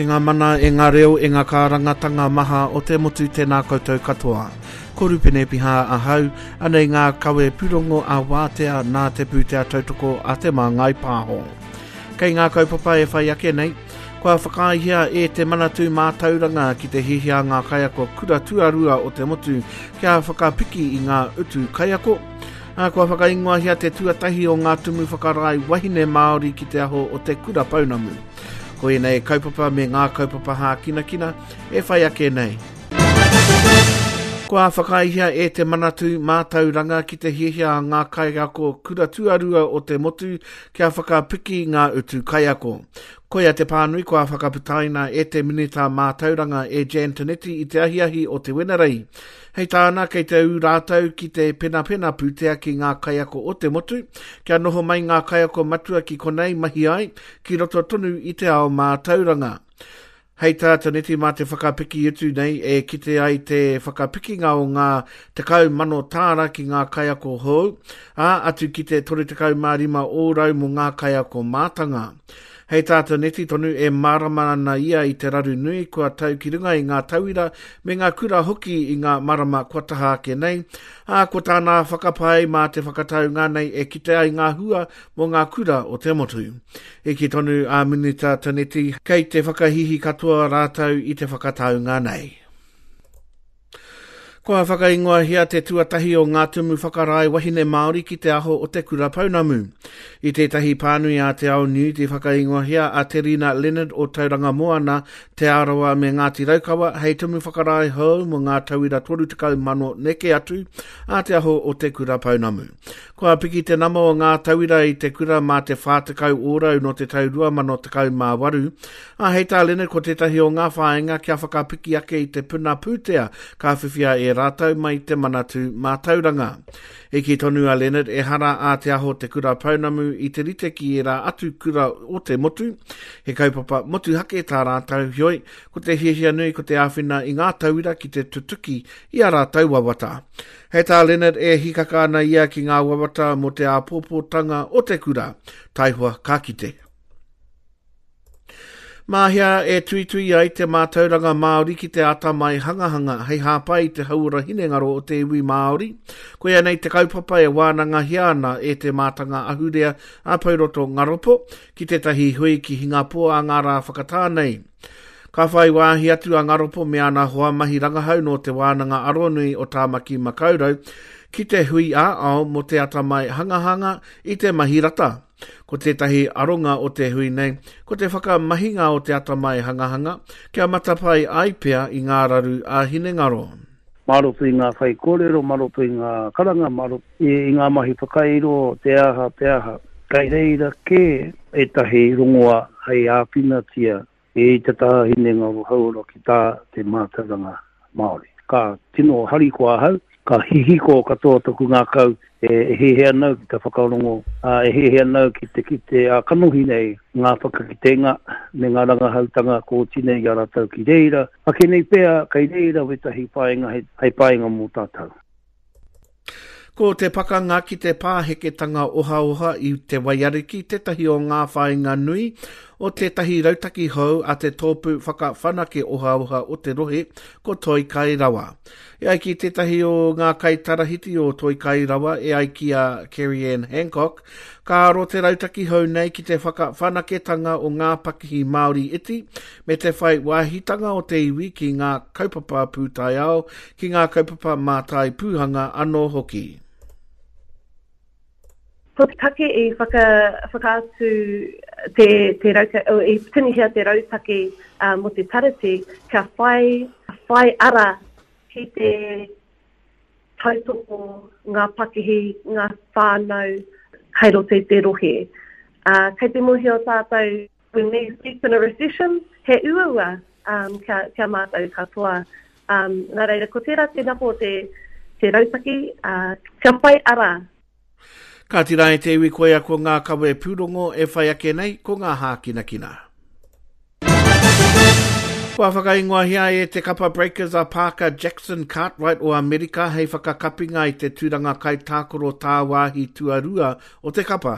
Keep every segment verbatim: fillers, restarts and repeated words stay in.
E ngā mana, e ngā reo, e ngā kārangatanga maha o te motu tēnā koutou katoa. Ko Rupene Piha ahau, anei ngā kawe pūrongo a wātea nā te pūtea tautoko a Te Māngai Pāho. Kei ngā kaupapa e whai ake nei, kua whakaaehia e te Manatū Mātauranga ki te hiahia ngā kaiako kura tuarua o te motu kia whakapiki i ngā utu kaiako. Ā, kua whakaingoahia te tuatahi o ngā tumu whakarae wahine Māori ki te aho o te kura pounamu. Ko ēnei kaupapa me ngā kaupapa hākinakina e whai ake nei. Kua whakaaehia e te Manatū Mātauranga ki te hiahia a ngā kaiako kura tuarua o te motu kia whakapiki ngā utu kaiako. Koia te pānui kua whakaputaina e te Minita Mātauranga e Jan Tinetti i te ahiahi o te Wenerei. Hei tāna, kei te ū rātou ki te penapena pūtea ki ngā kaiako o te motu, kia noho mai ngā kaiako matua ki konei mahi ai, ki roto tonu i te ao mātauranga. Hei tā Tinetti mā te whakapiki utu nei e kite ai te whakapikinga o ngā tekau mano tāra ki ngā kaiako hou, ā, atu ki te toru tekau mā rima ōrau mō ngā kaiako mātanga. Hei tā Tinetti tonu e mārama ana ia i te raru nui kua tau ki runga i ngā tauira me ngā kura hoki i ngā marama kua taha ake nei, ā, ko tāna whakapae mā te whakataunga nei e kite ai ngā hua mō ngā kura o te motu. I kī tonu a Minita Tinetti kei te whakahihi katoa rātou i te whakataunga nei. Kua whakaingoahia te tuatahi o ngā tumu whakarae wahine Māori ki te aho o te kura pounamu. I tētahi pānui a Te Ao Niu i whakaingoahia a Te Rina Leonard o Tauranga Moana, Te Arawa me Ngāti Raukawa hei tumu whakarae hou mō ngā tauira toru tekau mano neke atu a te aho o te kura pounamu. Kua piki te nama o ngā tauira i te kura mā te whā tekau ōrau nō te tau rua mano tekau mā waru. Ā, hei tā Leonard ko tētahi o ngā whāinga kia whakapiki ake i te puna pūtea ka whiwhia e rātou mai te Manatū Mātauranga. I kī tonu a Leonard ehara a Te Aho Te Kura Pounamu i te rite ki ērā atu kura o te motu, he kaupapa motuhake tā rātou, heoi, ko te hiahia nui ko te āwhina i ngā tauira ki te tutuki i ā rātou wawata. Hei tā Leonard e hikaka ana ia ki ngā wawata mō te āpōpōtanga o te kura, taihoa ka kite. Mahea e tuitui ai te mātauranga Māori ki te atamai hangahanga hei hāpai i te hauora hinengaro o te iwi Māori. Koia nei te kaupapa e wānangahia ana e te mātanga ahurea a Pouroto Ngaropo ki tētahi hui ki Hingapoa a ngā rā whakatā nei. Ka whai wāhi atu a Ngaropo me ana hoa mahi rangahau nō te Wānanga Aronui o Tāmaki Makaurau ki te hui ā-ao mō te atamai hangahanga i te mahi rata. Ko tētahi aronga o te hui nei, ko te whakamahinga o te atamai hangahanga, kia matapae ai pea i ngā raru ā-hinengaro. Mā roto i ngā whaikōrero, mā roto i ngā karanga, mā roto i ngā mahi whakairo, te aha, te aha. Kei reira kē ētahi rongoā hei āwhinatia i te taha hinengaro hauora ki tā te mātauranga Māori. Ka tino harikoa ahau, ka hihiko katoa toku ngākau e hiahia ana au ki te whakarongo, ā, e hiahia ana au ki te kite ā-kanohi nei ngā whakakitenga me ngā rangahautanga kua oti nei i a rātou ki reira. Ake nei pea, kei reira wētahi painga hei painga mō tātou. Ko te pakanga ki te pāheketanga ohaoha i te Waiariki tētahi o ngā whāinga nui o tētahi rautaki hou a te tōpū whakawhanake ohaoha o te rohe, ko Toi Kai Rawa. E ai ki tētahi o ngā kaitarahiti o Toi Kai Rawa, e ai ki a Kerry-Ann Hancock, ka aro te rautaki hou nei ki te whakawhanaketanga o ngā pakihi Māori iti me te whai wāhitanga o te iwi ki ngā kaupapa pūtaiao, ki ngā kaupapa mātai pūhanga anō hoki. Ko te take i whaka, whakaatu te, te rauta, o, i tinihia te rautaki uh, mō te tarati, kia whai, whai ara ki te tautoko ngā pakihi, ngā whānau kei roto i te rohe. Uh, kei te mōhio tātou, when we speak in a recession, he uaua um, kia, kia mātou katoa. Um, nā reira, ko tērā te nako o te, te rautaki, uh, kia whai ara. Ka tira e te iwi koia ko ngā kawe pūrongo e whai ake nei ko ngā hākinakina. Kua whakaingoahia e te kapa Breakers a Parker Jackson Cartwright o Amerika hei whakakapinga i te tūranga kaitākaro tāwāhi tuarua o te kapa.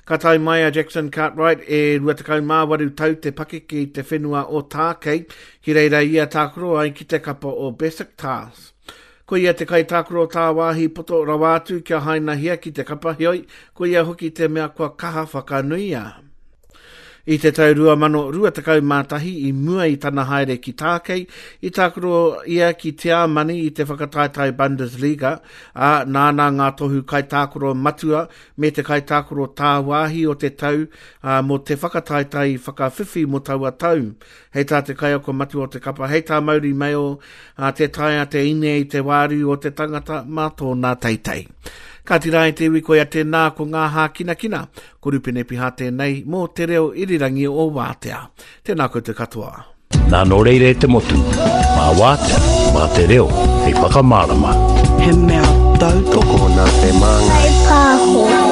Ka tae mai a Jackson Cartwright e rua tekau mā waru tau te pakeke i te whenua o Tākei, ki reira ia tākaro ai ki te kapa o Besiktas. Ko ia te kaitākaro tāwāhi poto rawa atu kia hainahia ki te kapa, heoi, ko ia hoki te mea kua kaha whakanuia. I te tau rua mano rua tekau mā tahi i mua i tana haere ki Tākei, i tākaro ia ki Tiamani i te whakataetae Bundesliga, ā, nāna ngā tohu kaitākaro matua me te kaitākaro tāwāhi o te tau, ā, mō te whakataetae whakawhiwhi mō taua tau. Hei tā te kaiako matua o te kapa, hei tā Mauri Mail, ā, te taea te ine i te wāriu o te tangata mā tōna teitei. Ka tira e te iwi koia tēnā ko ngā hākinakina, ko Rupene Piha tēnei mō te reo irirangi o Wātea. Tēnā koutou katoa. Nā nō reira e te motu, mā Wātea, mā te reo, hei whakamārama. He mea tautoko. Tokona te māngai. Pāho.